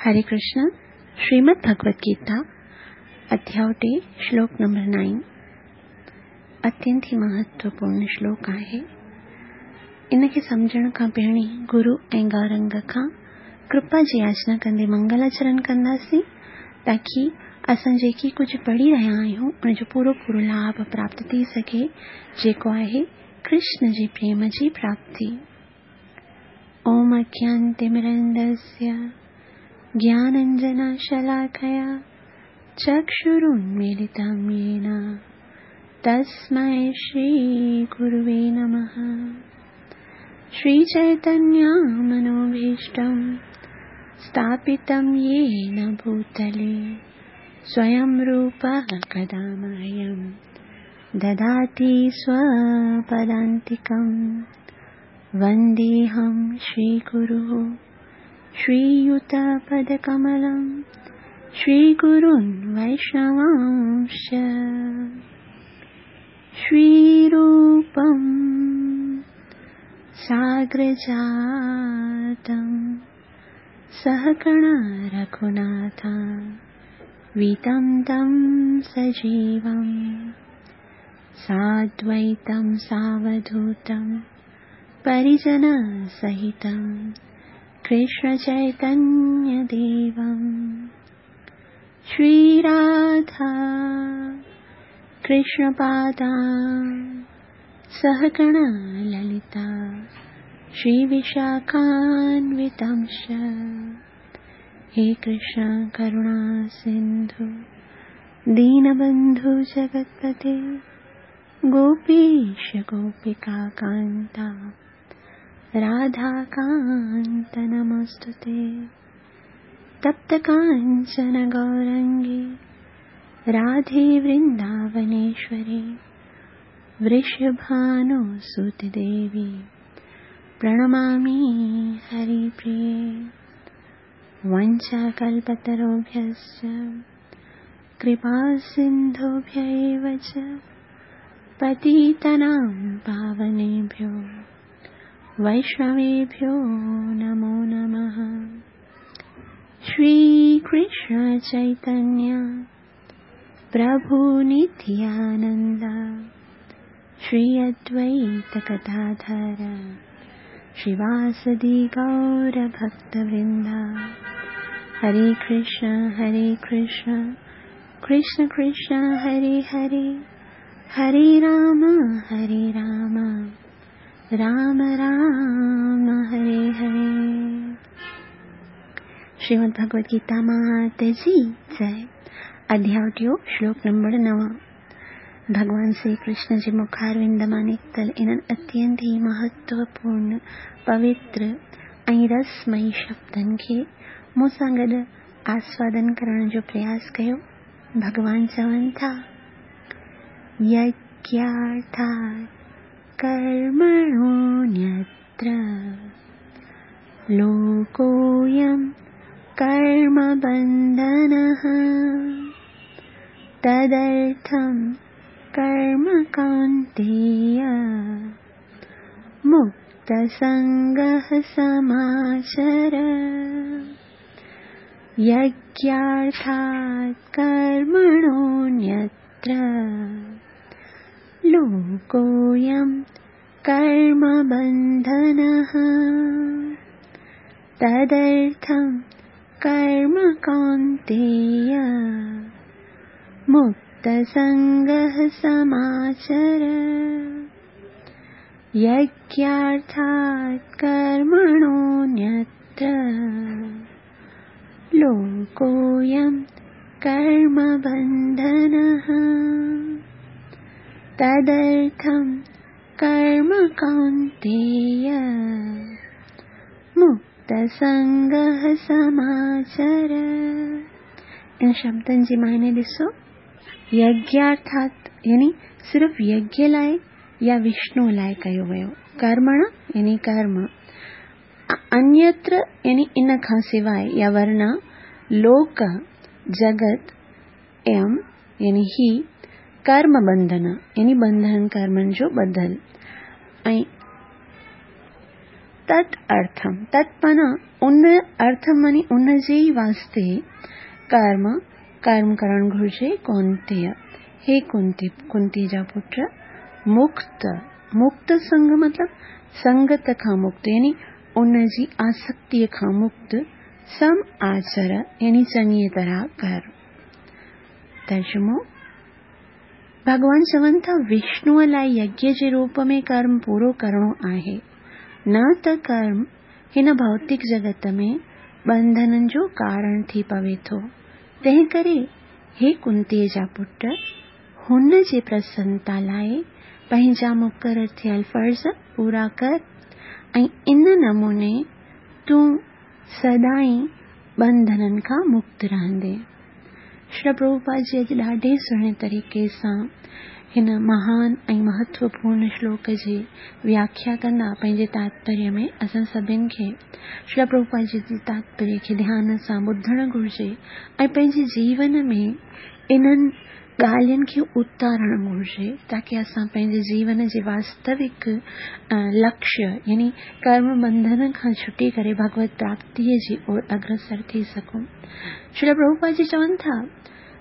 हरे कृष्ण। श्रीमद् भगवत गीता अध्याय 3 श्लोक नंबर 9 अत्यंत ही महत्वपूर्ण श्लोक आहे। इन खे सम्झण खां पहिरीं गुरु ऐं गौरंग खां कृपा जी याचना कंदे मंगलाचरण कंदासीं ताकी असां जेकी कुझु पढ़ी रहिया आहियूं उनजो पूरो पूरो लाभ प्राप्त थी सघे, जेको आहे कृष्ण जे प्रेम जी प्राप्ति। ओम अज्ञानतिमिरन्दस्य ज्ञानाञ्जनशलाकया चक्षुरुन्मीलितं येन तस्मै श्रीगुरुवे नमः। श्रीचैतन्यमनोभीष्टं स्थापितं येन भूतले स्वयं रूपः कदा मह्यं ददाति स्वपदान्तिकं। वन्देऽहं श्रीगुरुः श्रीयुतपदकमलं श्रीगुरून् वैष्णवांश्च। श्रीरूपं साग्रजातं सहगण रघुनाथं वीतं तं सजीवं साद्वैतं सावधूतं परिजनसहितं कृष्ण चैतन्य देवं। श्री राधा कृष्ण पादा सहगण ललिता श्री विशाखान्वितांश्च। हे कृष्ण करुणा सिंधु दीनबंधु जगत्पते गोपीश गोपिका कांता राधाकान्त नमोस्तुते। तप्त कांचन गौरंगी राधे वृंदावनेश्वरी वृषभानुसुते देवी प्रणमामि हरिप्रिये। वञ्चाकल्पतरुभ्यश्च कृपासिन्धुभ्य एव च पतितानां पावनेभ्यो वैष्णवेभ्यो नमो नमः। श्री कृष्ण चैतन्य प्रभु नित्यानंद श्री अद्वैत गदाधर श्रीवासदि गौर भक्तवृंद। हरे कृष्ण कृष्ण कृष्ण हरे हरे, हरे राम राम राम हरे हरे। श्रीमद् भगवद गीता मात जी जय। अध्याय 2 श्लोक नंबर 9। भगवान श्री कृष्ण जे मुखारविंद मां निकितल इन्हनि अत्यंत ई महत्वपूर्ण पवित्र ऐं रसमयी शब्दनि खे मूं सां गॾु आस्वादन करण जो प्रयास कयो। भगवान चवनि था, यज्ञार्थात् कर्मणोऽन्यत्र लोकोऽयं कर्मबन्धनः तदर्थं कर्म कौन्तेय मुक्तसङ्गः समाचर। यज्ञार्थात् कर्मणोऽन्यत्र लोकोऽयं कर्मबन्धनः तदर्थं कर्म कौन्तेय मुक्तसङ्गः समाचर। यज्ञार्थात् कर्मणोऽन्यत्र लोकोऽयं कर्मबन्धनः तदर्थं कर्म कौन्तेय मुक्तसङ्गः समाचर। इन शब्दनि जी मायने ॾिसो, यज्ञार्थात् यानी सिर्फ़ यज्ञ लाइ या विष्णु लाइ कयो वियो, कर्मण यानी कर्म, अन्यत्र यानी इन खां सिवाइ या वर्ण, लोक जगत, एम यानी ही, कर्म बंधन यानी बंधन कर्मनि जो ॿधल, ऐं तत् अर्थम, तत् माना ان ارٿ معني ان جي ئي واسطي ڪرم، ڪرم ڪرڻ گهرجي، ڪونتيء، هي ڪنتي، ڪنتي جا پٽ، مڪت، مڪت سنگ مطلب سنگت کان مڪت يعني ان جي آسڪتيء کان مڪت، سم آچر يعني چڱيء طرح ڪر. ترجمو، ڀڳوان چون ٿا وشنوء لاء يگيه جي روپ ۾ ڪرم پورو ڪرڻو آهي، نه ته ڪرم هن ڀوتڪ جڳت ۾ ٻنڌنن جو ڪارڻ ٿي پوي ٿو. تنهنڪري هي ڪنتيء جا پٽ! هن جي پرسنتا لاء پنهنجا مقرر ٿيل فرض پورا ڪر ۽ ان نموني تون سدائين ٻنڌنن کان مڪت رهندين. شريل پرڀوپاد جي اڄ ڏاڍي سهڻي طريقي سان هن مهان ۽ مهتوپورڻ شلوڪ جي وياکيا ڪندا پنهنجي تاتپريه ۾ اسان سڀن کي شريل پرڀوپاد جي جي تاتپريه کي ڌيان سان ٻڌڻ گهرجي ۽ پنهنجي جيون ۾ انهن ڳالهين کي اتارڻ گهرجي تاڪه اسان پنهنجي جيون جي واستوڪ لڪشيه يعني ڪرم بنڌن کان ڇٽي ڪري ڀڳوت پراپتيء جي اور اگرسر ٿي سگهون. شريل پرڀوپاد جي چون ٿا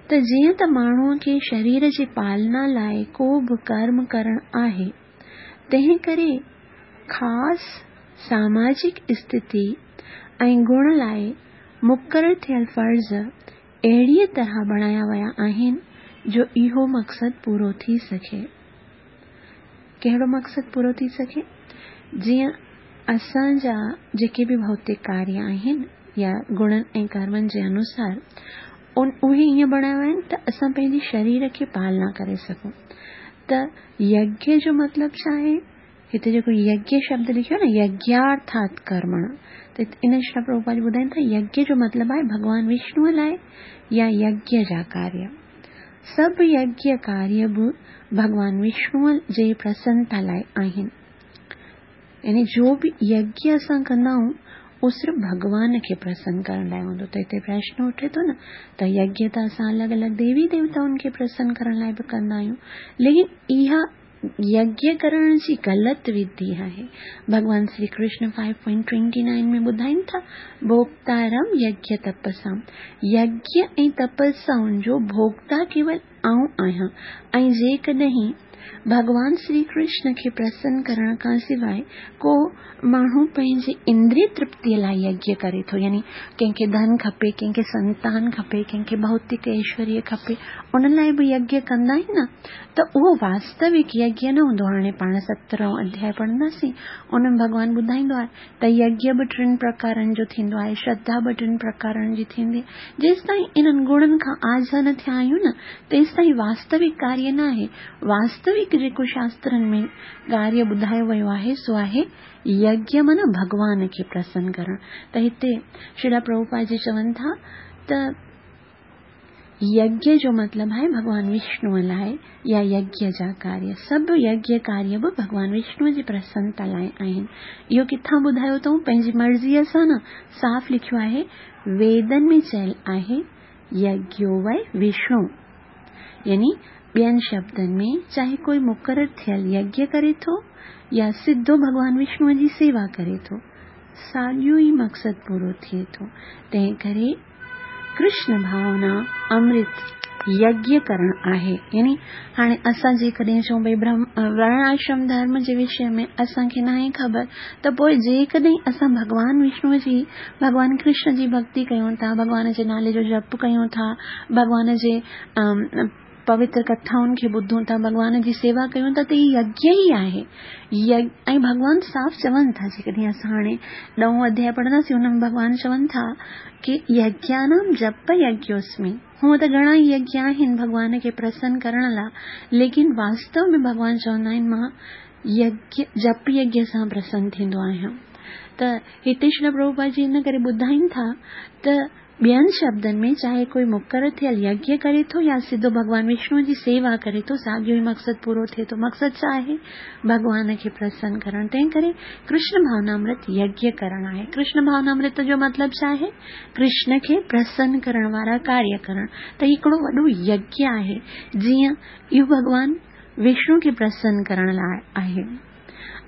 ته جيئن ته ماڻهوء کي شرير جي پالنا لاء ڪو به ڪرم ڪرڻ آهي، تنهن ڪري خاص ساماجڪ استٿي ۽ گڻ لاء مقرر ٿيل فرض اهڙيء طرح بڻايا ويا آهن جو اهو مقصد پورو ٿي سگهي. ڪهڙو مقصد پورو ٿي سگهي؟ جيئن اسان جا جيڪي به ڀوتڪ ڪاريه آهن يا گڻن ۽ ڪرمن جي انوسار ان اهي ائين بڻايا ويا آهن ته اسان پنهنجي شرير کي پالنا ڪري سگهون ته يگيه جو مطلب ڇا آهي؟ هتي جيڪو يگيه شبد لکيو آهي نه يگيارٿات ڪرمڻ ته ان شريل پرڀوپاد ٻڌائين ٿا يگيه جو مطلب آهي ڀڳوان وشنوء لاء يا يگيه جا ڪاريه. سڀ يگيه ڪاريه به ڀڳوان وشنوء جي پرسنتا لاء آهن. يعني جو به يگيه اسان ڪندا آهيون اهو صرف ڀڳوان کي پرسن ڪرڻ لاء هوندو ته هتي پرشن اٺي ٿو نه ته يگيه ته اسان الڳ الڳ ديوي ديوتائن کي پرسن ڪرڻ لاء به ڪندا آهيون ليڪن اها يگيه ڪرڻ جي غلط وڌي آهي. ڀڳوان شري ڪرشن 5.29 ۾ ٻڌائين ٿا، ڀوڳتارم يگيه تپسام، يگيه ۽ تپسائن جو ڀوڳتا ڪيول آئون آهيان ۽ جيڪڏهن ڀڳوان شري ڪرشن کي پرسن ڪرڻ کان سواء ڪو ماڻهو پنهنجي اندري ترپتيء لاء يگيه ڪري ٿو يعني ڪنهن کي ڌن کپي، ڪنهن کي سنتان کپي، ڪنهن کي ڀوتڪ ايشوريه کپي، ان لاء به يگيه ڪندا آهن نه ته اهو واستوڪ يگيه نه هوندو. هاڻي پاڻ سترهون اڌياء پڙهنداسين، ان ۾ ڀڳوان ٻڌائيندو آهي ته يگيه به ٽن پرڪارن جو ٿيندو آهي، شرڌا به ٽن پرڪارن جي ٿيندي. جيستائين انهن گڻن کان آجا نه ٿيا آهيون نه، تيستائين واستوڪ ڪاريه ناهي. واستوڪ جيڪو شاسترن ۾ ڪاريه ٻڌايو ويو آهي، سو آهي يگيه معنيٰ ڀڳوان کي پرسن ڪرڻ. ته هتي شريلا پرڀوپاد جي چون ٿا ته يگيه جو مطلب آهي ڀڳوان وشنوء لاء يا يگيه جا ڪاريه. سڀ يگيه ڪاريه به ڀڳوان وشنوء جي پرسنتا لاء آهن. اهو ڪٿان ٻڌايو اٿئون؟ پنهنجي مرضيء سان نه، صاف لکيو آهي، ويدن ۾ چيل آهي، يگيو وئي وشنو. يعني ٻين شبدن ۾ چاهي ڪوئي مقرر ٿيل يگيه ڪري ٿو يا سڌو ڀڳوان وشنوء جي سيوا ڪري ٿو، ساڳيو ئي مقصد پورو ٿئي ٿو. تنهنڪري ڪرشن ڀاونا امرت يگيه ڪرڻ آهي. يعني هاڻي اسان جيڪڏهن چئون ڀئي برهم ورڻ آشرم ڌرم جي وشي ۾ اسان کي ناهي خبر ته پوء جيڪڏهن اسان ڀڳوان وشنوء جي ڀڳوان ڪرشن جي ڀڳتي ڪيون ٿا، ڀڳوان جي نالي جو جپ ڪيون ٿا، ڀڳوان جي پوتر ڪٿائن کي ٻڌون ٿا، ڀڳوان جي سيوا ڪيون ٿا ته هي يگيه ئي آهي. ۽ ڀڳوان صاف چون ٿا جيڪڏهن اسان هاڻي ڏهون اڌياء پڙهنداسين ان ۾ ڀڳوان چون ٿا ڪي يگيانام جپ يگيوسمي هونء ته گهڻا ئي يگيه آهن ڀڳوان کي پرسن ڪرڻ لا ليڪن واستو ۾ ڀڳوان چوندا آهن مان يگيه جپ يگيه سان پرسن ٿيندو آهيان ته هتي شريل پرڀوپاد جي ان ڪري ٻڌائين ٿا ته ٻين شبدن ۾ چاهي ڪوئي مقرر ٿيل يگيه ڪري ٿو يا سڌو ڀڳوان وشنوء جي سيوا ڪري ٿو، ساڳيو ئي مقصد پورو ٿئي ٿو. مقصد ڇا آهي؟ ڀڳوان کي پرسن ڪرڻ. تنهن ڪري ڪرشن ڀاونامرت يگيه ڪرڻ آهي. ڪرشن ڀاونامرت جو مطلب ڇا آهي؟ ڪرشن کي پرسن ڪرڻ وارا ڪاريه ڪرڻ. ته هي هڪڙو وڏو يگيه آهي، جيئن اهو ڀڳوان وشنو کي پرسن ڪرڻ لاء آهي.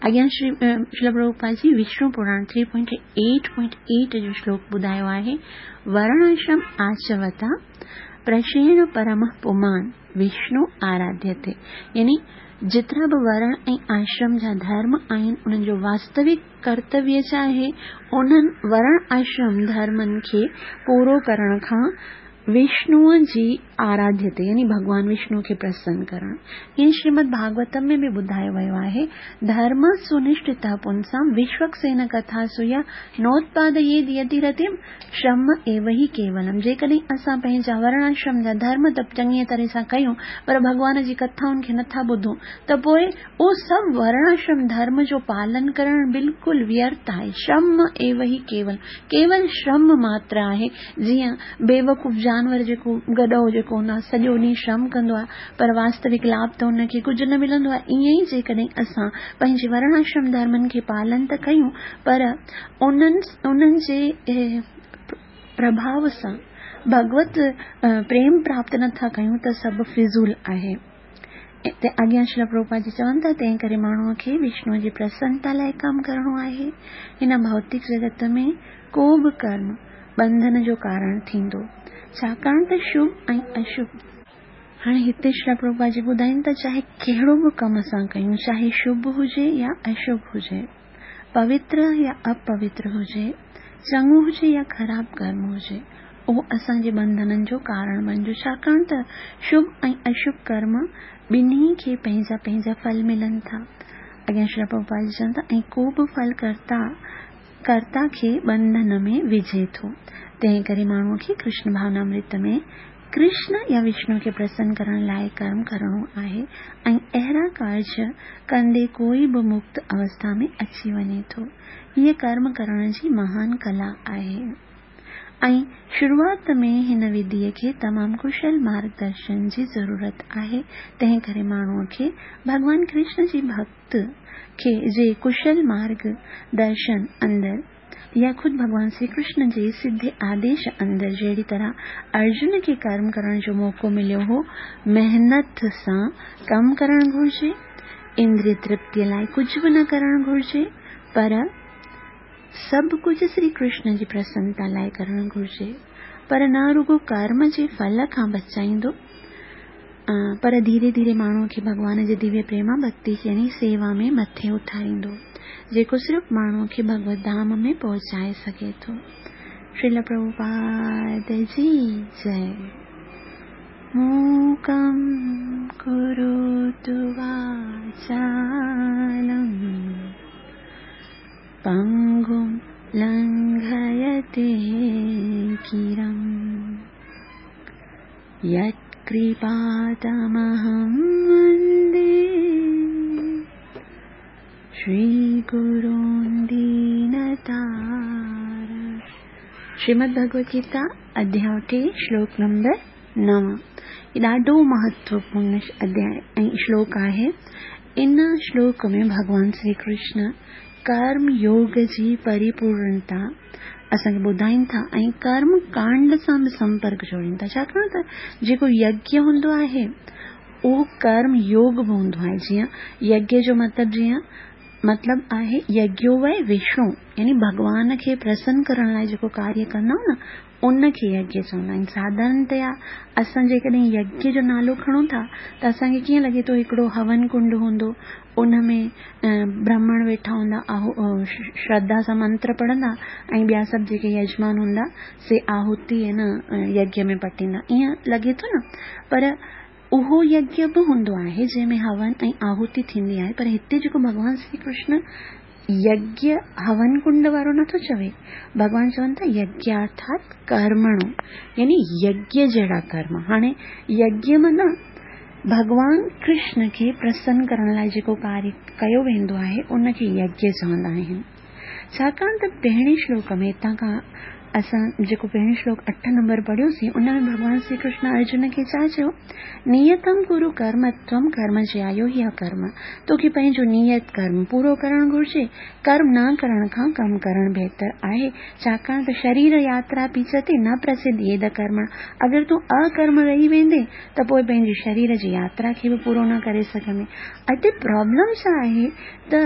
اڳيان شري شريل پرڀوپاد جي وشنو پراڻ 3.8.8 جو شلوڪ ٻڌايو آهي، ورڻاشرم آچوتا پرشيڻ پرم پمان وشنو آراڌيتي يعني جيترا به ورڻ ۽ آشرم جا ڌرم آهن انهن جو واستوڪ ڪرتويه ڇا آهي؟ انهن ورڻ آشرم ڌرمن کي پورو ڪرڻ کان وشنوء جي آراڌيتي يعني ڀڳوان وشنو کي پرسن ڪرڻ. ائين شريمد ڀاڳوتم ۾ به ٻڌايو ويو آهي، ڌرم سنشٺتः پنسام وشوڪسين ڪٿاسو يا نوتپادييد يتي رتيم شرم ايو هي ڪيولم جيڪڏهن اسان پنهنجا ورڻاشرم جا ڌرم ته چڱيء طرح سان ڪيون پر ڀڳوان جي ڪٿائن کي نٿا ٻڌون ته پوء اهو سڀ ورڻاشرم ڌرم جو پالن ڪرڻ بلڪل ويرٿ آهي. شرم ايو هي ڪيولم ڪيول شرم ماتر آهي. جيئن بيوقوف جانور جيڪو گڏهو جيڪو هوندو آهي سڄو ڏينهن شرم ڪندو آهي پر واستوڪ لاڀ ته ان کي ڪجهه نه ملندو آهي ائين ئي جيڪڏهن اسان پنهنجي ورڻاشرم ڌرمن کي پالن ته ڪيون پر انهن انهن جي پرڀاو سان ڀڳوت پريم پراپت نٿا ڪيون ته سڀ فضول آهي. اتي اڳيان شريل پرڀوپاد جي چون ٿا، تنهن ڪري ماڻهوء کي وشنوء جي پرسنتا لاء ڪم ڪرڻو آهي. هن ڀوتڪ جڳت ۾ ڪو به ڪرم ٻنڌن جو ڪارڻ ٿيندو، ڇاڪاڻ ته شڀ ۽ اشڀ. هاڻي هتي شريل پرڀوپاد جي ٻڌائين ٿا، چاهي ڪهڙو به ڪم اسان ڪيون، چاهي شڀ هجي يا اشڀ هجي، پوتر يا اپوتر هجي، چڱو هجي يا خراب ڪرم هجي، اهو اسان جي ٻنڌنن جو ڪارڻ بڻجو، ڇاڪاڻ ته شڀ ۽ اشڀ ڪرم ٻنهي کي پنهنجا پنهنجا ڦل ملن ٿا. اڳيان شريل پرڀوپاد جي چون ٿا، ۽ ڪو به ڦل ڪرتا ڪرتا کي ٻنڌن ۾ وجهي ٿو. تنهن ڪري ماڻهوء کي ڪرشن ڀاونامرت ۾ ڪرشن يا وشنو کي پرسن ڪرڻ لاء ڪرم ڪرڻو آهي ۽ اهڙا ڪارج ڪندي ڪوئي به مڪت اوسٿا ۾ اچي وڃي ٿو. هيء ڪرم ڪرڻ جي مهان ڪلا آهي ۽ شروعات ۾ هن وڌيء کي تمام ڪشل مارگ درشن جي ضرورت آهي، تنهن ڪري ماڻهوء کي ڀڳوان ڪرشن جي ڀڳت کي جي ڪشل مارگ درشن اندر يا خود ڀڳوان شري ڪرشن جي سڌي آديش اندر جهڙي طرح ارجن کي ڪرم ڪرڻ جو موقعو مليو هو، محنت سان ڪم ڪرڻ گهرجي، اندري ترپتيء لاء ڪجهه به نه ڪرڻ گهرجي، پر سڀ ڪجهه شري ڪرشن جي پرسنتا لاء ڪرڻ گهرجي. پر نه رڳو ڪرم جي ڦل کان بچائيندو، پر ڌيري ڌيري ماڻهوء کي ڀڳوان جي دويه پريما ڀڳتي يعني سيوا ۾ مٿي اٿاريندو، جيڪو صرف ماڻهوء کي ڀڳوت ڌام ۾ پهچائي سگهي ٿو. شريل پرڀوپاد جي جئي. موڪم ڪروتو واچالم پنگم لنگهيتي گرم. يتڪرپاتمهم وندي شري گرون دينتارڻم. شريمد ڀڳوت گيتا اڌياء ٽي شلوڪ نمبر 9 هي ڏاڍو مهتوپورن اڌياء ۽ شلوڪ آهي. ان شلوڪ ۾ ڀڳوان شري ڪرشن ڪرم يوگ جي پريپورڻتا اسان کي ٻڌائين ٿا ۽ ڪرم ڪانڊ سان به سمپرڪ جوڙين ٿا ڇاڪاڻ ته جيڪو يگيه هوندو آهي اهو ڪرم يوگ به هوندو آهي جيئن يگيه جو مطلب جيئن مطلب آهي يگيو وئي وشنو يعني ڀڳوان کي پرسن ڪرڻ لاء جيڪو ڪاريه ڪندا آهيون نه ان کي يگيه چوندا آهن. ساڌارڻتيا اسان جيڪڏهن يگيه جو نالو کڻون ٿا ته اسان کي ڪيئن لڳي ٿو هڪڙو هون ڪنڊ هوندو ان ۾ برهمڻ ويٺا هوندا شرڌا سان منتر پڙهندا ۽ ٻيا سڀ جيڪي يجمان هوندا سي آهوتي ان يگيه ۾ پٽيندا ائين لڳي ٿو نه پر اهو يگيه به هوندو آهي جنهن ۾ هون ۽ آهوتي ٿيندي آهي پر هتي جيڪو ڀڳوان شري ڪرشن يگيه هون ڪنڊ وارو نٿو چوي ڀڳوان چون ٿا يگيارٿات ڪرمڻو يعني يگيه جهڙا ڪرم هاڻي يگيه معنيٰ ڀڳوان ڪرشن کي پرسن ڪرڻ لاء جيڪو ڪاريه ڪيو ويندو آهي ان کي يگيه چوندا آهن ڇاڪاڻ ته پهرين شلوڪ ۾ هتان کان اسان جيڪو پهريون شلوڪ اٺ نمبر پڙهيوسين ان ۾ ڀڳوان شري ڪرشن ارجن کي ڇا چيو؟ نيتم ڪرو ڪرم تم ڪرم جيايو هي اڪرم توکي پنهنجو نيت ڪرم پورو ڪرڻ گهرجي ڪرم نه ڪرڻ کان ڪم ڪرڻ بهتر آهي ڇاڪاڻ ته شرير ياترا پيچتي نه پرسڌييد ڪرمڻ اگر تون اڪرم رهي ويندين ته پوء پنهنجي شرير جي ياترا کي به پورو نه ڪري سگهندين اتي پرابلم ڇا آهي ته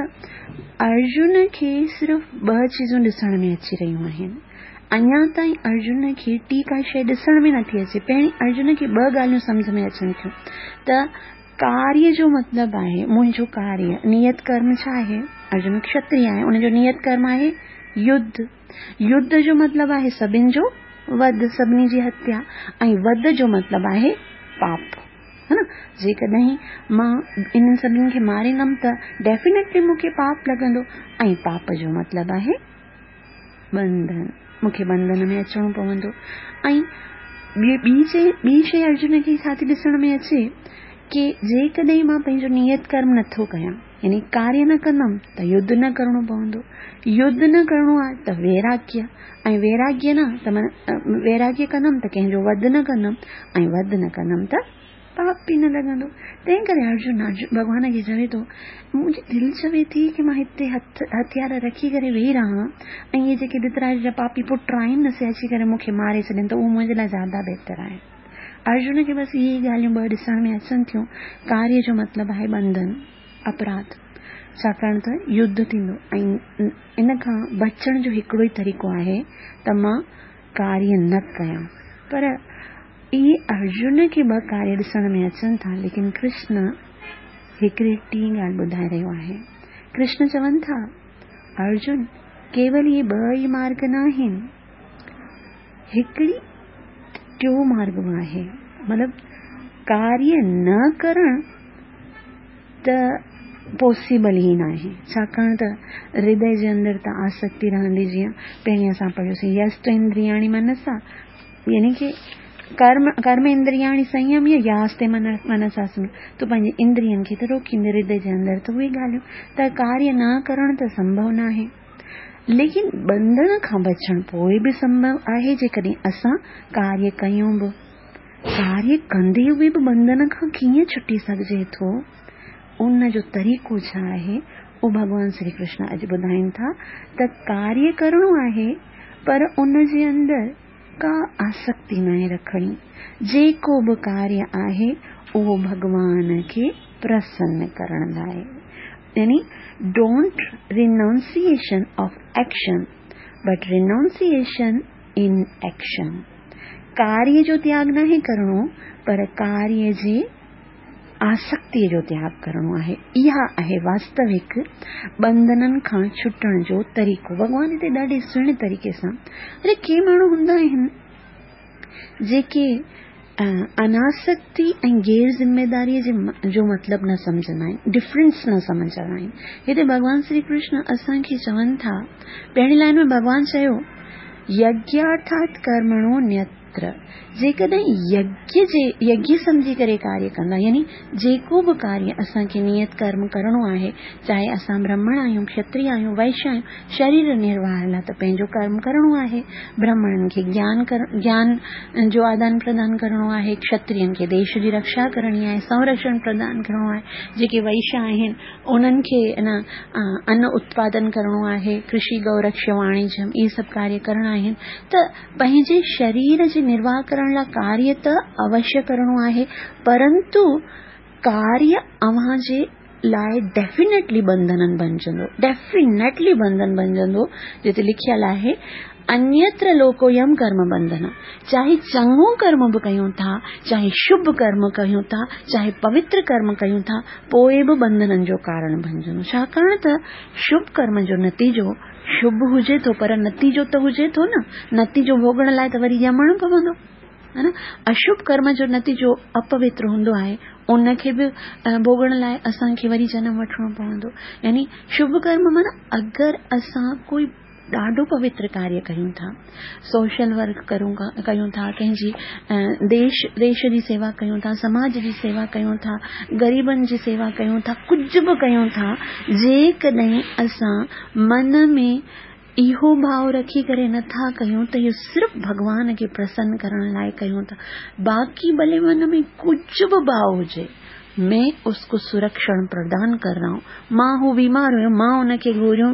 ارجن کي صرف ٻه چيزون ڏسڻ ۾ اچي رهيون آهن. اڃا تائين ارجن کي ٽي ڪا شيء ڏسڻ ۾ نٿي اچي. پهرين ارجن کي ٻه ڳالهيون سمجهه ۾ اچن ٿيون ته ڪاريه جو مطلب آهي منهنجو ڪاريه، نيت ڪرم ڇا آهي؟ ارجن کشتري آهي، ان جو نيت ڪرم آهي يڌ. يڌ جو مطلب آهي سڀن جو وڌ، سڀني جي هتيا ۽ وڌ جو مطلب آهي پاپ. ها نه جيڪڏهن مان انهن سڀني کي ماريندم ته ڊيفينيٽلي مون کي پاپ لڳندو ۽ پاپ جو مطلب آهي ٻنڌن مون کي ٻنڌن ۾ اچڻو پوندو ۽ ٻي ٻي شي ٻي شي ارجن کي ڇا ٿي ڏسڻ ۾ اچي ڪي جيڪڏهن مان پنهنجو نيت ڪرم نٿو ڪيان يعني ڪاريه نه ڪندم ته يڌ نه ڪرڻو پوندو يڌ نه ڪرڻو آهي ته ويراگيه ۽ ويراگيه نه ته ويراگيه ڪندم ته ڪنهن جو وڌ نه ڪندم ۽ وڌ نه ڪندم ته پاپ به نه لڳندو تنهن ڪري ارجن ڀڳوان کي چوي ٿو منهنجي دل چوي ٿي ڪي مان هتي هٿ هٿيار رکي ڪري ويهي رهان ۽ اهي جيڪي ڌرتراشٽر جا پاپي پٽ آهن نه سي اچي ڪري مون کي ماري ڇڏين ته اهو منهنجي لاء زياده بهتر آهي ارجن کي بس اهي ئي ڳالهيون ٻه ڏسڻ ۾ اچن ٿيون. ڪاريه جو مطلب آهي ٻنڌن، اپراڌ. ڇاڪاڻ ته يڌ ٿيندو ۽ ان کان بچڻ جو هڪڙو ئي طريقو آهي ته مان ڪاريه نه ڪيان. پر اهي ارجن کي ٻه ڪاريه ڏسڻ ۾ اچن ٿا ليڪن ڪرشن هڪڙي ٽين ڳالهه ٻڌائي رهيو آهي. ڪرشن چون ٿا، ارجن! ڪيول اهي ٻه ئي مارگ ناهن. هڪڙي ٽيون مارگ به آهي مطلب ڪاريه نه ڪرڻ ته پاسيبل ئي ناهي ڇاڪاڻ ته هردي جي اندر ته آسڪتي رهندي جيئن پهرين اسان پڙهيوسين يست اندرياڻي منسا يعني ڪي ڪرم ڪرم اندرياڻي سنيميه ياستي من منسا سم تون پنهنجي اندرين کي ته روڪيندي هردي جي اندر ته اهي ڳالهيون ته ڪاريه نه ڪرڻ ته سمڀو ناهي ليڪن ٻنڌڻ کان بچڻ پوء به سنڀو آهي جيڪڏهن اسان ڪاريه ڪيون به. ڪاريه ڪندي هوئي به ٻنڌڻ کان ڪيئن ڇٽي سگهجي ٿو؟ ان جو طريقو ڇا آهي؟ اهو ڀڳوان شري ڪرشن اڄ ٻڌائين ٿا ته ڪاريه ڪرڻو آهي پر ان جي اندر ڪا آسڪتي ناهي رکڻي. جيڪو به ڪاريه آهي اهو ڀڳوان کي پرسن ڪرڻ لاء يعني don't renunciation of action but renunciation in action ڪاريه جو تياڳ ناهي ڪرڻو پر ڪاريه جي آسڪتيء جو تياڳ ڪرڻو آهي. اها آهي واستوڪ ٻنڌنن کان ڇٽڻ جو طريقو. ڀڳوان هتي ڏاڍي سهڻي طريقي سان اڙي ڪي ماڻهو هوندا آهن جيڪي اناسڪتي ۽ غير ذميداريء جي جو مطلب نه سمجهندا آهن، ڊفرنس نه سمجهندا آهن. هتي ڀڳوان شري ڪرشن اسان کي چون ٿا، پهرين لائن ۾ ڀڳوان چيو، يگيارٿات ڪرمڻو نيت تر، جيڪڏهن يگيه جي يگيه سمجهي ڪري ڪاريه ڪندا يعني جيڪو به ڪاريه اسان کي نيت ڪرم ڪرڻو آهي چاهي اسان برهمڻ آهيون، کشتري آهيون، وئش آهيون، شرير نرواهه لاء ته پنهنجو ڪرم ڪرڻو آهي، برهمڻن کي گيان گيان جو آدان پردان ڪرڻو آهي، کشترين کي ديش جي رڪشا ڪرڻي آهي، سنرڪشڻ پردان ڪرڻو آهي، جيڪي وئش آهن انهن کي ان ان اتپادن ڪرڻو آهي، ڪرشي گئو رڪشي واڻيجم اهي سڀ ڪاريه ڪرڻا آهن ته پنهنجي شرير جي نرواهه ڪرڻ لاء ڪاريه ته اوشيه ڪرڻو آهي پرنتو ڪاريه اوهان جي لاء ڊيفينيٽلي ٻنڌنن بنجندو ڊيفينيٽلي ٻنڌن بنجندو جتي لکيل آهي انيتر لوڪويم ڪرم ٻنڌن چاهي چڱو ڪرم به ڪيون ٿا چاهي شڀ ڪرم ڪيون ٿا چاهي پوتر ڪرم ڪيون ٿا پوء به ٻنڌنن جو ڪارڻ بنجندو ڇاڪاڻ ته شڀ ڪرم جو نتيجو شڀ هجي ٿو پر نتيجو ته هجي ٿو نه، نتيجو ڀوڳڻ لاء ته وري ڄمڻ پوندو ها نه. اشڀ ڪرم جو نتيجو اپوتر هوندو آهي، ان کي به ڀوڳڻ لاء اسان کي وري جنم وٺڻو پوندو. يعني شڀ ڪرم معنيٰ اگر اسان ڪوئي ڏاڍو پوتر ڪاريه ڪيون ٿا، سوشل ورڪ ڪرون ڪيون ٿا، ڪنهن جي ديش ديش جي سيوا ڪيون ٿا، سماج جي سيوا ڪيون ٿا، غريبن جي سيوا ڪيون ٿا، ڪجهه به ڪيون ٿا، جيڪڏهن اسان من ۾ اهو ڀاء رکي ڪري نٿا ڪيون ته اهو صرف ڀڳوان کي پرسن ڪرڻ لاء ڪيون ٿا. باقي ڀلي من ۾ ڪجهه به ڀاء هجي، مين اس ڪو سرڪشڻ پردان ڪر رها هون، مان هو بيمار هيو، مان ان کي گوريون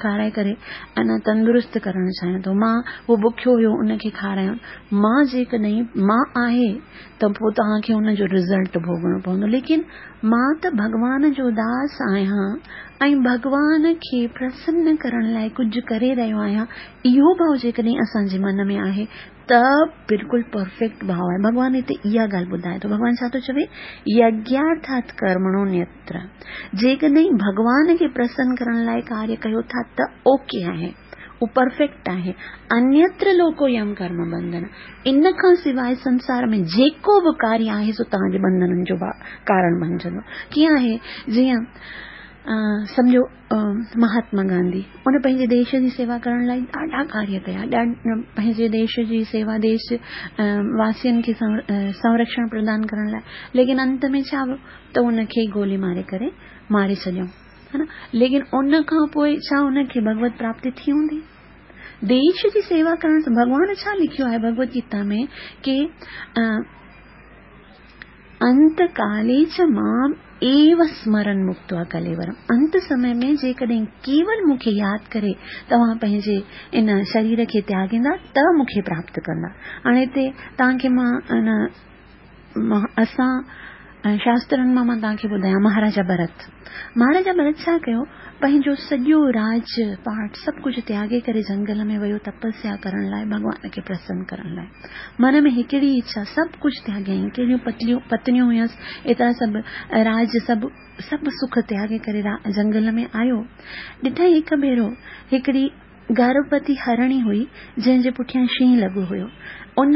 کارائي ڪري انا تندرست ڪرڻ چاهيان ٿو، مان هو بکيو هيو ان کي کارايان، مان جيڪڏهن مان آهي ته پوء توهان کي ان جو رزلٽ ڀوڳڻو پوندو، ليڪن مان ته ڀڳوان جو داس آهيان ۽ ڀڳوان کي پرسن ڪرڻ لاء ڪجهه ڪري رهيو آهيان، اهو ڀاء جيڪڏهن اسان جي من ۾ آهي ته بلڪل پرفيڪٽ ڀاء آهي. ڀڳوان هتي اها ڳالهه ٻڌائي ٿو. ڀڳوان ڇا ٿو چوي؟ يگيارٿات ڪرمڻو نيتر. جيڪڏهن ڀڳوان کي پرسن ڪرڻ لاء ڪاريه ڪيو ٿا ته اوڪي آهي، اهو پرفيڪٽ آهي. انيتر لوڪو يم ڪرم بنڌن. ان کان سواء سنسار ۾ جيڪو به ڪاريه آهي سو توهان جي بنڌنن جو ڪارڻ بڻجندو. ڪيئن آهي؟ جيئن سمجهو مهاتما گانڌي ان پنهنجي ديش جي سيوا ڪرڻ لاء ڏاڍا ڪاريه ڪيا، پنهنجي ديش جي سيوا، ديش واسين کي سنرڪشڻ پردان ڪرڻ لاء، ليڪن انت ۾ ڇا ويو ته ان کي گولي ماري ڪري ماري ڇڏيائون، ها نه؟ ليڪن ان کان پوء ڇا ان کي ڀڳوت پراپتي ٿي هوندي؟ ديش جي سيوا ڪرڻ سان ڀڳوان ڇا لکيو آهي ڀڳوت گيتا ۾ ڪي انت ڪالي چ مام ايو سمرن مڪتوا ڪليورم، انت سمي ۾ جيڪڏهن ڪيول مون کي ياد ڪري توهان پنهنجي ان شرير کي تياڳيندا ته مون کي پراپت ڪندا. هاڻي هتي توهان کي مان ان اسان شاسترن مان مان توهان کي ٻڌايان مهاراجا ڀرت، مهاراجا ڀرت ڇا ڪيو، پنهنجو سڄو راج پاٺ سڀ ڪجهه تياڳي ڪري جهنگل ۾ ويو تپسيا ڪرڻ لاء، ڀڳوان کي پرسن ڪرڻ لاء. من ۾ هڪڙي اڇا، سڀ ڪجهه تياڳيائين، ڪهڙيون پتليون پتنيون هيس، ايترا سڀ راج سڀ سڀ سک تياڳي ڪري جهنگل ۾ آيو. ڏٺائين هڪ ڀيرو هڪڙي گرڀوتي هرڻي هئي، جنهن جي پٺيان شينهن لڳو هيو. ان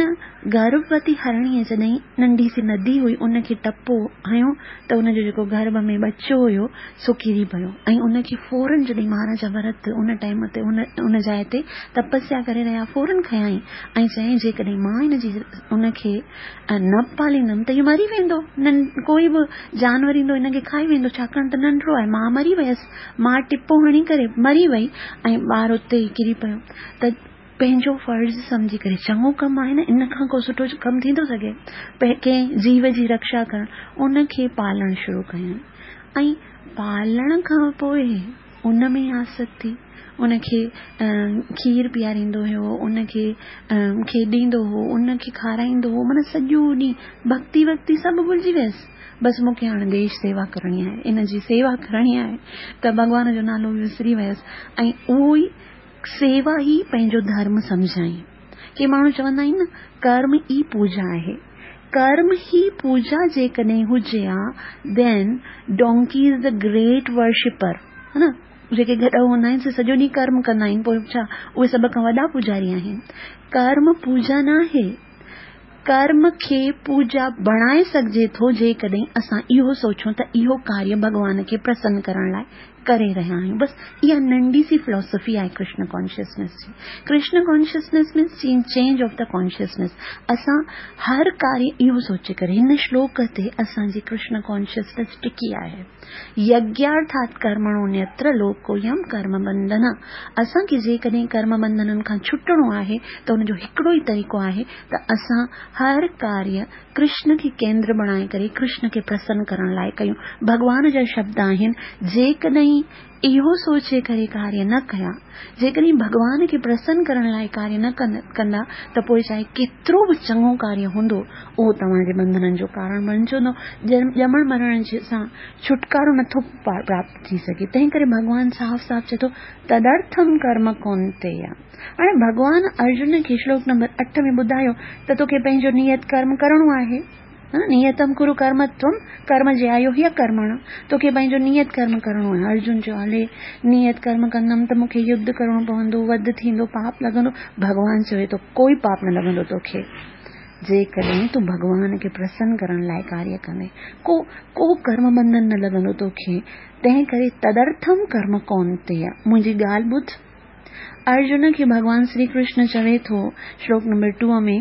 گرڀوتي هرڻيء جڏهن ننڍي سي ندي هئي، ان کي ٽپو هنيو ته ان جو جيڪو گرڀ ۾ ٻچو هيو، سو ڪري پيو ۽ ان کي فورن جڏهن مهاراجا ڀرت ان ٽائيم تي ان جاء تي تپسيا ڪري رهيا، فورن کنيائين ۽ چيائين، جيڪڏهن مان ان جي ان کي نه پاليندم ته اهو مري ويندو، ڪوئي به جانور ايندو ان کي کائي ويندو، ڇاڪاڻ ته ننڍڙو آهي، مان مري ويس. ماء ٽپو هڻي ڪري مري وئي ۽ ٻار اتي ئي ڪري پيو ته پنهنجو فرض سمجهي ڪري، چڱو ڪم آهي نه، ان کان ڪو سٺو ڪم ٿي ٿو سگهي، ڪنهن جيو جي رڪشا ڪرڻ، ان کي پالڻ شروع ڪيائين ۽ پالڻ کان پوء ان ۾ آسڪت ٿي، ان کي کير پياريندو هيو، ان کي کيڏيندو هو، ان کي کارائيندو هو، معنيٰ سڄو ڏينهن ڀڳتي وڳتي سڀ ڀلجي ويس. بس مون کي هاڻ ديش سيوا ڪرڻي آهي، ان جي سيوا ڪرڻي آهي ته ڀڳوان جو نالو به وسري ويس ۽ اهو ئي سيوا ئي پنهنجو ڌرم سمجهيائين. ڪي ماڻهو چوندا آهن نه ڪرم ئي پوڄا آهي. ڪرم ئي پوڄا جيڪڏهن هجي ها then donkey is the great worshipper ها نه جيڪي گڏهه هوندا آهن سي سڄو ڏينهن ڪرم ڪندا آهن پوء ڇا اهي سڀ کان وڏا پوڄاري آهن. ڪرم پوڄا ناهي. ڪرم کي پوڄا بڻائي سگهجي ٿو جيڪڏهن اسان اهو سوچون ته اهو ڪاريه ڀڳوان کي پرسن ڪرڻ لاء ڪري رهيا آهيون. بس اها ننڍي سي فلاسافي آهي ڪرشن ڪانشسنيس جي. Krishna consciousness means change of the consciousness. اسان هر ڪاريه اهو سوچي ڪري هن شلوڪ تي اسان جي ڪرشن ڪانشسنيس ٽڪي آهي. يگيارٿات ڪرمڻو نيتر لوڪويم ڪرم بنڌن، اسان کي جيڪڏهن ڪرم بنڌنن کان ڇٽڻو آهي ته ان جو هڪڙو ئي طريقو آهي ته اسان هر ڪاريه ڪرشن کي ڪيندر بڻائي ڪري ڪرشن کي پرسن ڪرڻ لاء ڪيون. ڀڳوان جا شبد آهن، جيڪڏهن اهو سوچي ڪري ڪاريه نه ڪيا، جيڪڏهن ڀڳوان کي پرسن ڪرڻ لاء ڪاريه نه ڪندا ته پوء چاهي ڪيترو به چڱو ڪاريه هوندو اهو توهان جي بنڌنن جو ڪارڻ بڻجندو. ڄمڻ مرڻ سان ڇوٽڪارو نٿو پراپت ٿي سگهي. تنهن ڪري ڀڳوان صاف صاف چئي ٿو تدرٿم ڪرم ڪونتيا. هاڻي ڀڳوان ارجن کي شلوڪ نمبر 8 ۾ ٻڌايو ته توکي پنهنجو نيت ڪرم ڪرڻو آهي. نيتم ڪرو ڪرم تم ڪرم جيايو هي ڪرمڻ، توکي پنهنجو نيت ڪرم ڪرڻو آهي. ارجن چيو هلي نيت ڪرم ڪندم ته مون کي يڌ ڪرڻو پوندو، وڌ ٿيندو، پاپ لڳندو. ڀڳوان چوي ٿو ڪوئي پاپ نه لڳندو توکي، جيڪڏهن تون ڀڳوان کي پرسن ڪرڻ لاء ڪاريه ڪندين، ڪو ڪو ڪرم بنڌن نه لڳندو توکي، تنهن ڪري تدرٿم ڪرم ڪونتيه، منهنجي ڳالهه ٻڌ. ارجن کي ڀڳوان شري ڪرشن چوي ٿو شلوڪ نمبر 2 ۾،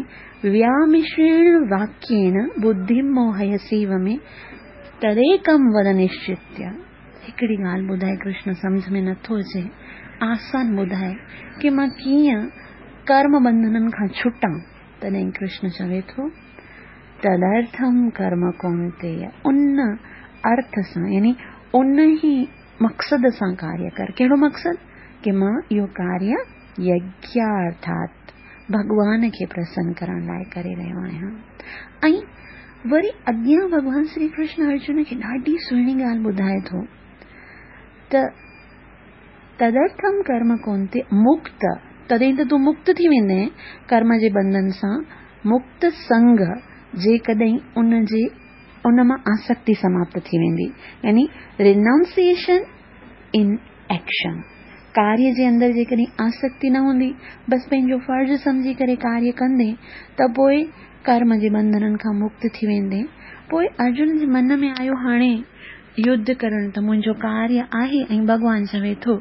ويامشريڻ واڪيڻ ٻڌيم موهيسيو ۾ تديڪم ود نشچتيه. هڪڙي ڳالهه ٻڌائي ڪرشن سمجهه ۾ نٿو اچي. آسان ٻڌاءِ ڪي مان ڪيئن ڪرم ٻنڌنن کان ڇٽان؟ تڏهن ڪرشن چوي ٿو، تدارٿم ڪرم ڪونتيي، ان ارٿ سان يعني ان ئي مقصد سان ڪاريه ڪر. ڪهڙو مقصد؟ ڪي مان اهو ڪاريه يگيارٿات ڀڳوان کي پرسن ڪرڻ لاءِ ڪري رهيو آهيان. ۽ وري اڳيان ڀڳوان شري ڪرشن ارجن کي ڏاڍي سهڻي ڳالهه ٻڌائي ٿو ته تدرٿم ڪرم ڪونتي مڪت، تڏهن ته تون مڪت ٿي ويندين ڪرم جي ٻنڌن سان، مڪت سنگ، جيڪڏهن ان جي ان مان آسڪتي سماپت ٿي ويندي، يعني رينائونسيئيشن ان ايڪشن، ڪاريه جي اندر جيڪڏهن آسڪتي نه هوندي، بس پنهنجو فرض سمجهي ڪري ڪاريه ڪندين ته پوء ڪرم جي ٻنڌنن کان مڪت ٿي ويندين. پوء ارجن جي من ۾ آيو هاڻي يڌ ڪرڻ ته منهنجو ڪاريه آهي ۽ ڀڳوان چوي ٿو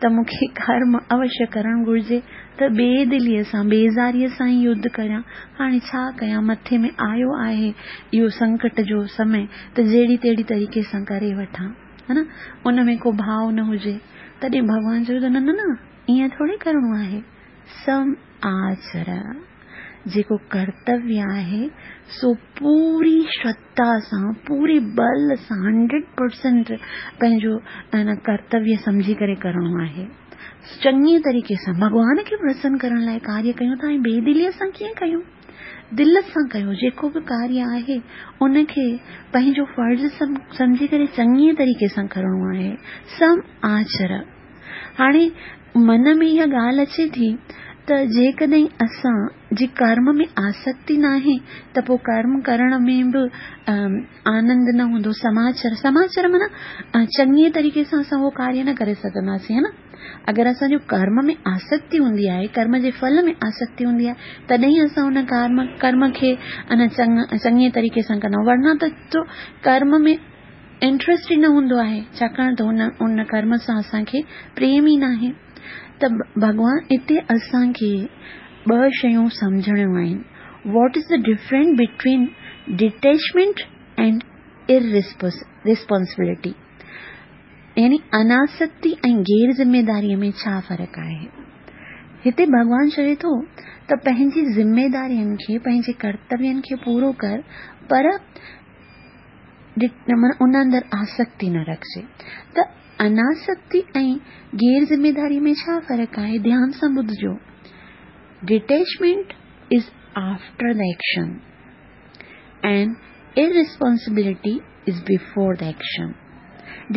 ته مون کي ڪرم اوشيه ڪرڻ گهرجي ته بي دليء سان بيزاريء سان ئي يڌ ڪريان. هاڻي ڇا ڪيان مٿي ۾ آيو آهي اهو سنڪٽ جو سمي ته جهڙي تهڙي طريقي سان ڪري وٺان ها نه ان ۾ ڪو ڀاء نه هجي. تڏهن ڀڳوان چوي ٿو نه نه نه ائين ٿوري ڪرڻو آهي. سم آچر جيڪو ڪرتويه آهي سو پوري شرڌا سان پوري ٻل سان هنڊريڊ پرسنٽ پنهنجو ان ڪرتويه سمجهي ڪري ڪرڻو آهي. چڱي طريقي سان ڀڳوان کي پرسن ڪرڻ لاء ڪاريه ڪيون ٿا ۽ بي دليء سان ڪيئن ڪيون؟ دل سان ڪيو جيڪو به ڪاريه آهي ان کي پنهنجو فرض سمجهي ڪري چڱي طريقي سان ڪرڻو آهي. سم آچر هاڻي من ۾ اها ڳالهه اچي ٿي ته جيڪڏهن اسان جي ڪرم ۾ آسڪتي ناهي ته پوء ڪرم ڪرڻ ۾ به آنند نه هوندو. سماچر، سماچر معنيٰ چڱي طريقي سان اسان اهو ڪاريه نه ڪري سگهنداسين، ها نه؟ اگر اسان جو ڪرم ۾ آسڪتي هوندي آهي، ڪرم جي ڦل ۾ آسڪتي هوندي آهي، تڏهن ئي اسان ان ڪرم، ڪرم کي ان چڱي طريقي سان ڪندا آهيون، ورنه ته ڪرم ۾ انٽريسٽ ئي نه هوندو آهي، ڇاڪاڻ ته ان ان ڪرم سان اسان کي پريم ئي ناهي. ته ڀڳوان اتي اسان کي ٻه شيون سمجهڻيون آهن، what is the difference between detachment and irresponsibility يعني اناسڪتي ۽ غير ذميداريء ۾ ڇا فرق آهي؟ هتي ڀڳوان چوي ٿو ته پنهنجي ذميدارين کي، پنهنجي ڪرتوين کي پورو ڪر، پر معنيٰ ان اندر آسڪتي نه رکجي. ته اناسڪتي ۽ غير ذميداري ۾ ڇا فرق آهي؟ ڌيان سان ٻڌجو. Detachment is after the action and irresponsibility is before the action.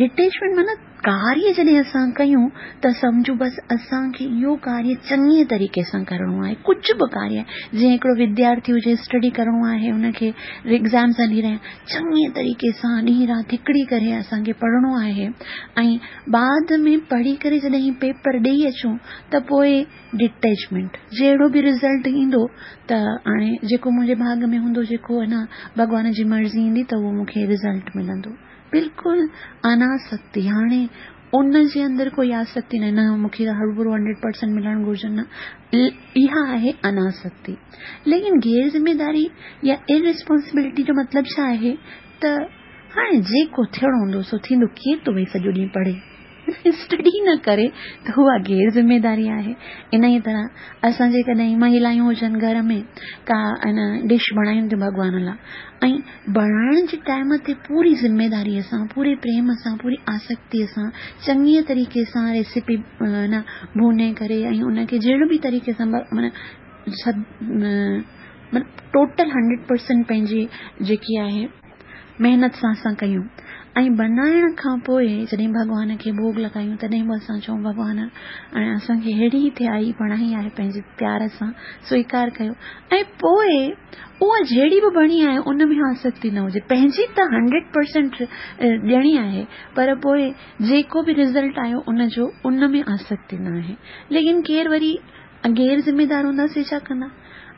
Detachment معنيٰ ڪاريه جڏهن اسان ڪيون ته سمجهون بس اسان کي اهو ڪاريه چڱي طريقي سان ڪرڻو آهي، ڪجهه به ڪاريه آهي، جيئن هڪڙو وديارٿي هجي اسٽڊي ڪرڻو آهي ان کي ايگزامس هلي رهيا آهن، چڱي طريقي سان ڏينهن رات هڪڙي ڪري اسان کي پڙهڻو آهي ۽ بعد ۾ پڙهي ڪري جڏهن پيپر ڏيئي اچون ته پوء ڊٽيچمينٽ جهڙو به رزلٽ ايندو ته هاڻي جيڪو منهنجي ڀاڳ ۾ هوندو جيڪو اڃا ڀڳوان جي مرضي ايندي ته اهو مون کي رزلٽ ملندو. بلڪل اناسڪتي، هاڻي ان جي اندر ڪوئي آسڪتي ناهي، نه مون کي هروڀرو هنڊريڊ پرسنٽ ملڻ گهرجي نه، اها آهي اناسڪتي. ليڪن غير ذميداري يا ارريسپانسبلٽي جو مطلب ڇا آهي ته هاڻي جيڪو ٿيڻو هوندو سو ٿيندو، ڪير ٿو ويهي سڄو ڏينهن پڙهي، اسٽڊي نه ڪري ته اها غير ذميداري آهي. انهيء طرح اسان جيڪڏهن مهلائون هجن گهر ۾ ڪا ان ڊش بڻايون ٿيون ڀڳوان لاء ۽ بڻائڻ جي ٽائيم تي پوري ذميداريء سان پوري پريم سان پوري آسڪتيء سان چڱيء طريقي سان ريسيپي نه ڀوني ڪري ۽ ان کي جهڙو به طريقي سان معنيٰ سڀ معنيٰ ٽوٽل هنڊريڊ پرسنٽ پنهنجي جيڪي آهي محنت سان اسان ڪيون ۽ بنائڻ کان پوء جڏهن ڀڳوان کي ڀوڳ لڳايون تڏهن به اسان چئون ڀڳوان ۽ اسان کي ههڙي ٿيائي بڻائي آهي پنهنجي پيار سان سويڪار ڪيو ۽ پوء اها جهڙي به بڻي آهي ان ۾ آسڪتي نه هجي پنهنجي ته هنڊريڊ پرسنٽ ڏيڻي آهي پر پوء جيڪو به رزلٽ آيو ان جو ان ۾ آسڪتي نه آهي ليڪن ڪير وري غير ذميدار هوندا سي ڇا ڪندا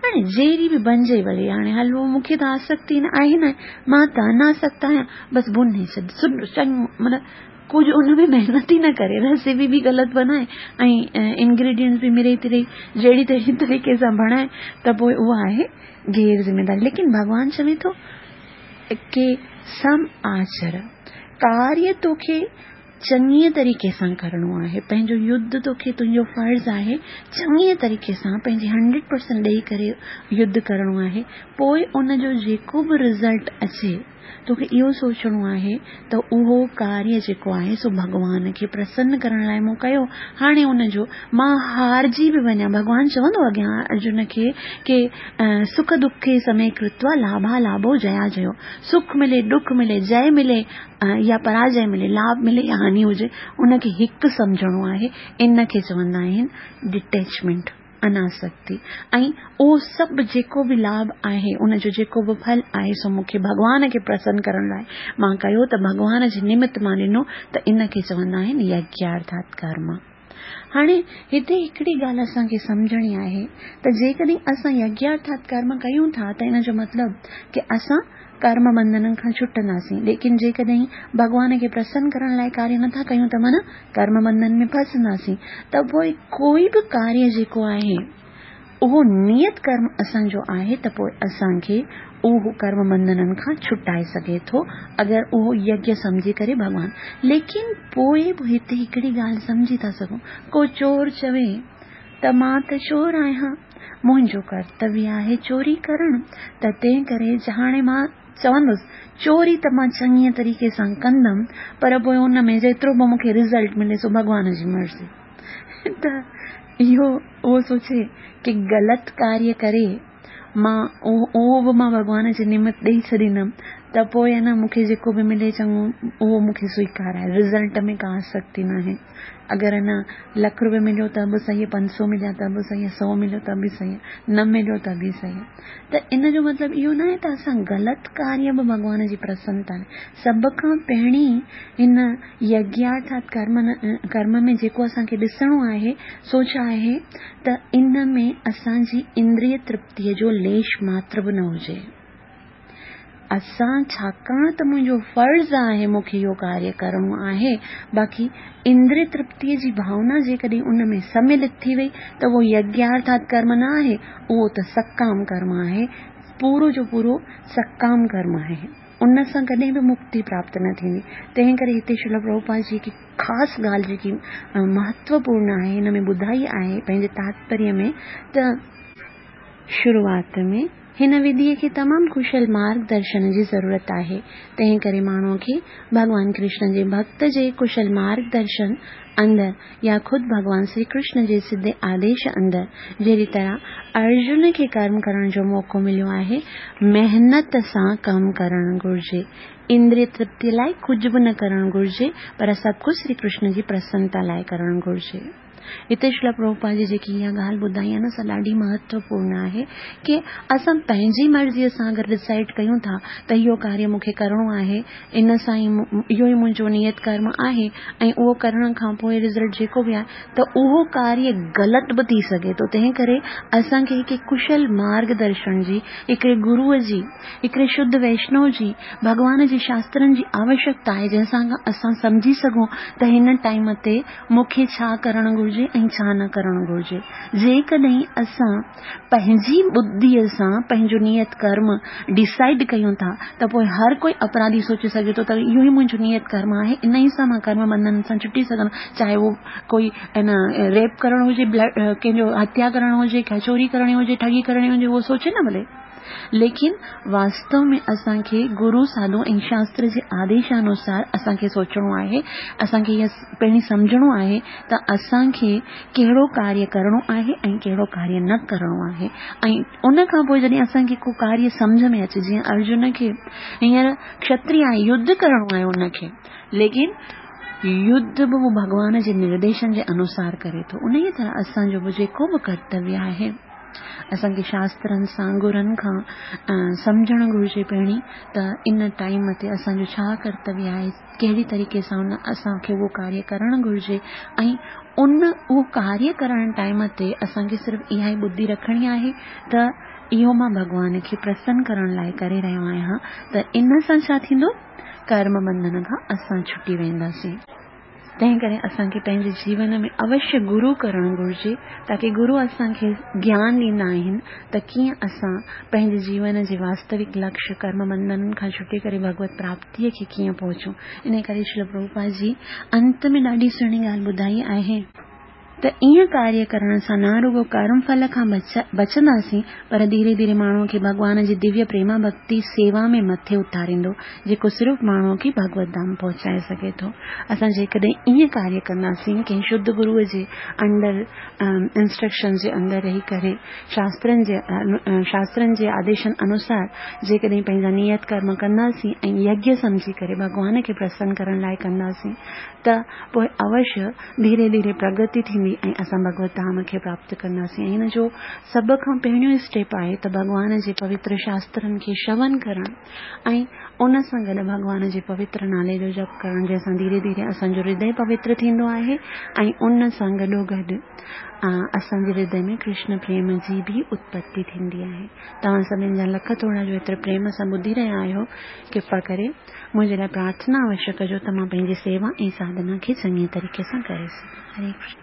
هاڻي جهڙي به بنجي ڀلي هاڻي حلوو مون کي ته آسڪتي نه آهي نه مان ته اناسڪت آهيان بس ڀني ڇڏ سڏ چڱو مطلب ڪجهه ان ۾ محنت ئي نه ڪري ريسيپي به غلط بنائي ۽ انگريڊينٽس به مڙئي تڙئي جهڙي تهڙي طريقي سان بڻائي ته پوء اها آهي غير ذميداري ليڪن ڀڳوان چوي ٿو ڪي سم آچر ڪاريه توکي چڱيء طريقي سان ڪرڻو آهي. پنهنجو يڌ توکي تنهنجو فرض آهي چڱيء طريقي سان پنهنجي هنڊريڊ پرسنٽ ڏئي ڪري يڌ ڪرڻو آهي. پوء ان جو جيڪو به رزلٽ اچي توکي اهو سوچڻو آهي ته اهو ڪاريه جيڪو آهي سو ڀڳوان کي پرسن ڪرڻ لاء مون ڪيو. هاڻي ان جو مان هارجي به وڃان ڀڳوان چوندو اڳيان ارجن کي ڪي سک دکي سمي ڪرتوا لاڀا لاڀو جيا جيو سک ملي ڏک ملي جئه ملي يا پراجئه ملي، لاڀ ملي يا هاني هجي، ان کي هڪ سمجهڻو آهي، ان کي چوندا آهن ڊٽيچمينٽ، اناسڪتي، ۽ اهو سڀ جيڪو به لاڀ آهي، ان جو جيڪو به ڦل آهي، سو مون کي ڀڳوان کي پرسن ڪرڻ لاء مان ڪيو ته ڀڳوان جي نمت مان ڏنو ته ان کي چوندا آهن يگيارٿات ڪرم. هاڻي هتي هڪڙي ڳالهه اسان کي سمجهڻي آهي ته جيڪڏهن اسان يگيارٿات ڪرم ڪيون ٿا ته ان جو مطلب ڪي اسان ڪرم بنڌنن کان ڇٽنداسين ليڪن جيڪڏهن ڀڳوان کي پرسن ڪرڻ لاء ڪاريه نٿا ڪيون ته معنيٰ ڪرم بنڌن ۾ ڦاسنداسين ته پوء ڪوئي به ڪاريه جيڪو آهي اهو نيت ڪرم اسان جو آهي ته پوء اسان کي اهو ڪرم بنڌنن کان ڇٽائي سگهي ٿو اگر اهو يگيه سمجهي ڪري ڀڳوان ليڪن پوء به هتي هڪڙي ڳالهه سمجهي ٿا سگهون ڪو چور چوي ته مان ته چور آهيان منهنجو ڪرتويه آهي چوري ڪرڻ ته تنهن ڪري هاڻي مان چوندس چوري ته مان چڱيء طريقي سان ڪندم پر پوء ان ۾ جيترو به مون کي رزلٽ ملي سو ڀڳوان جي مرضي ته اهو اهو سوچي ڪي غلط ڪاريه ڪري مان اهو به مان ڀڳوان جي نمت ڏئي ڇڏيندم ته پوء نه مون کي جيڪو به ملي چڱو اهو مون کي سويڪار آهي رزلٽ ۾ ڪا آسڪتي ناهي. اگر نه لک روپيه مليو ته به صحيح 500 مليا ته به صحيح 100 مليو ته به صحيح نه مليو ته به صحيح ته ان جو مطلب اهو ناهي ته اسان غلط ڪاريه به ڀڳوان جي پرسنتا لاء سڀ کان پهرين هن يگيارٿات ڪرم ڪرم ۾ جيڪو اسان کي ڏسڻو آهي سو ڇا آهي ته ان ۾ اسان جي اندريه ترپتيء جو ليش ماتر به نه هجي. اسان ڇاڪاڻ ته منهنجو فرض آهي مون کي اهو ڪاريه ڪرڻو آهي باقي اندريه ترپتيء جي ڀاونا جيڪڏهن ان ۾ سملت ٿي وئي ته اهو يگيارٿات ڪرم نه آهي اهو ته سڪام ڪرم آهي پورو جو پورو سڪام ڪرم آهي ان سان ڪڏهن به مڪتي پراپت نه ٿيندي تنهن ڪري هتي شريل پرڀوپاد جي هڪ خاص ڳالهه جيڪي مهتوپورڻ آهي هن ۾ ٻڌائي آهي پنهنجي تاتپريه ۾ ته شروعات ۾ هن وڌيء کي تمام ڪشل مارگ درشن جي ضرورت آهي، تنهن ڪري ماڻهوء کي ڀڳوان ڪرشن جي ڀڳت جي ڪشل مارگ درشن اندر يا خود ڀڳوان سري ڪرشن جي سڌي آديش اندر جهڙي طرح ارجن کي ڪرم ڪرڻ جو موقعو مليو آهي، محنت سان ڪم ڪرڻ گهرجي. اندريه ترپتيء لاء ڪجهه به نه ڪرڻ گهرجي، پر سڀ ڪجهه سري ڪرشن جي پرسنتا لاء ڪرڻ گهرجي. هتي شريلا پرڀوپاد جي جيڪي اها ڳالهه ٻڌائي آهي نه سا ڏاڍي مهتوپورڻ آهي ڪي اسان پنهنجي مرضيء سان اگر ڊسائيڊ ڪيون ٿا ته اهو ڪاريه مون کي ڪرڻو آهي ان سان ئي اهو ئي منهنجو نيت ڪرم آهي ۽ اهو ڪرڻ کان پوء رزلٽ جيڪو به آهي ته اهو ڪاريه غلط به ٿي سگهي ٿو تنهن ڪري اسان کي هڪ ڪشل مارگ درشن جي هڪڙي گروء جي هڪڙي شڌ ويشنو جي، ڀڳوان جي شاسترن جي آوشڪتا آهي جنهن سان اسان سمجهي سگهون ته هن ٽائيم تي مون کي ڇا ڪرڻ گهرجي ۽ ڇا نه ڪرڻ گهرجي. جيڪڏهن اسان پنهنجي ٻڌيء سان پنهنجو نيت ڪرم ڊيسائيڊ ڪيون ٿا ته پوء هر ڪوئي اپراڌي سوچي سگهي ٿو ته اهو ئي منهنجو نيت ڪرم آهي انهيء سان مان ڪرم بنڌن سان ڇٽي سگهندس چاهي اهو ڪوئي ان ريپ ڪرڻ هجي ڪنهن جو هتيا ڪرڻ هجي چوري ڪرڻي هجي ٺڳي ڪرڻي هجي اهو سوچي نه ڀلي. ليڪن واستو ۾ اسان کي گرو، ساڌو ۽ شاستر جي آديشانوسار اسان کي سوچڻو آهي، اسان کي اها پهرين سمجهڻو آهي ته اسان کي ڪهڙو ڪاريه ڪرڻو آهي ۽ ڪهڙو ڪاريه نه ڪرڻو آهي ۽ ان کان پوء جڏهن اسان کي ڪو ڪاريه سمجهه ۾ اچي جيئن ارجن کي هينئر کشتري آهي يڌ ڪرڻو آهي ان کي ليڪن يڌ به هو ڀڳوان جي نرديشن جي انوسار ڪري ٿو انهيء طرح اسان جو به جيڪو به ڪرتويه آهي. اسان کي شاسترن سان گرن کان سمجهڻ گهرجي پهرين ته ان ٽائيم تي اسان جو ڇا ڪرتويه آهي ڪهڙي طريقي سان ان اسان کي اهو ڪاريه ڪرڻ گهرجي ۽ ان اهو ڪاريه ڪرڻ ٽائيم تي اسان کي صرف اها ئي ٻڌي رکڻي آهي ته اهو مان ڀڳوان کي پرسن ڪرڻ لاء ڪري رهيو آهيان ته ان سان ڇا ٿيندو ڪرم بنڌن کان اسان ڇٽي وينداسين. تنهن ڪري اسان کي پنهنجي جيون ۾ اوشيه گرو ڪرڻ گهرجي تاڪي گرو اسان کي گيان ڏيندا آهن ته ڪيئن اسان پنهنجي جيون جي واستوڪ لڪشيه ڪرم بنڌنن کان ڇٽي ڪري ڀڳوت پراپتيء کي ڪيئن پهچون. انهي ڪري شريل پرڀوپاد جي انت ۾ ڏاڍي سهڻي ڳالهه ٻڌائي آهي. ته ائين ڪاريه ڪرڻ سان نه رڳو ڪرم ڦل کان بچنداسين پر ڌيري ڌيري ماڻهوء کي ڀڳوان جي دويه پريما ڀڳتي سيوا ۾ مٿي اٿاريندو جيڪو صرف ماڻهوء کي ڀڳوت ڌام پهچائي سگهي ٿو. اسان جيڪڏهن ائين ڪاريه ڪنداسين ڪنهن شڌ گروء جي انڊر انسٽرڪشنز جي اندر رهي ڪري شاسترن جي شاسترن جي آديشن انوسار جيڪڏهن پنهنجا نيت ڪرم ڪنداسين ۽ يگيه سمجهي ڪري ڀڳوان کي پرسن ڪرڻ لاء ڪنداسين ته پوء اوشيه ڌيري ڌيري پرگتي ٿيندي ۽ اسان ڀڳوت ڌام کي پراپت ڪنداسين ۽ ان جو سڀ کان پهريون اسٽيپ آهي ته ڀڳوان جي پوتر شاسترن کي شون ڪرڻ ۽ ان سان گڏ ڀڳوان جي پوتر نالي جو جپ ڪرڻ جنهن سان ڌيري ڌيري اسان جو هردي پوتر ٿيندو آهي ۽ ان سان گڏو گڏ اسان جي هردي ۾ ڪرشن پريم جي به اتپتي ٿيندي آهي. توهان سڀني جا لک ٿورا جو ايتري پريم سان ٻڌي رهيا آهيو. ڪرپا ڪري منهنجي لاء پرارٿنا اوشيه ڪجو ته مان پنهنجي سيوا ۽ ساڌنا کي چڱي طريقي سان ڪري سگهان. هري ڪرشن.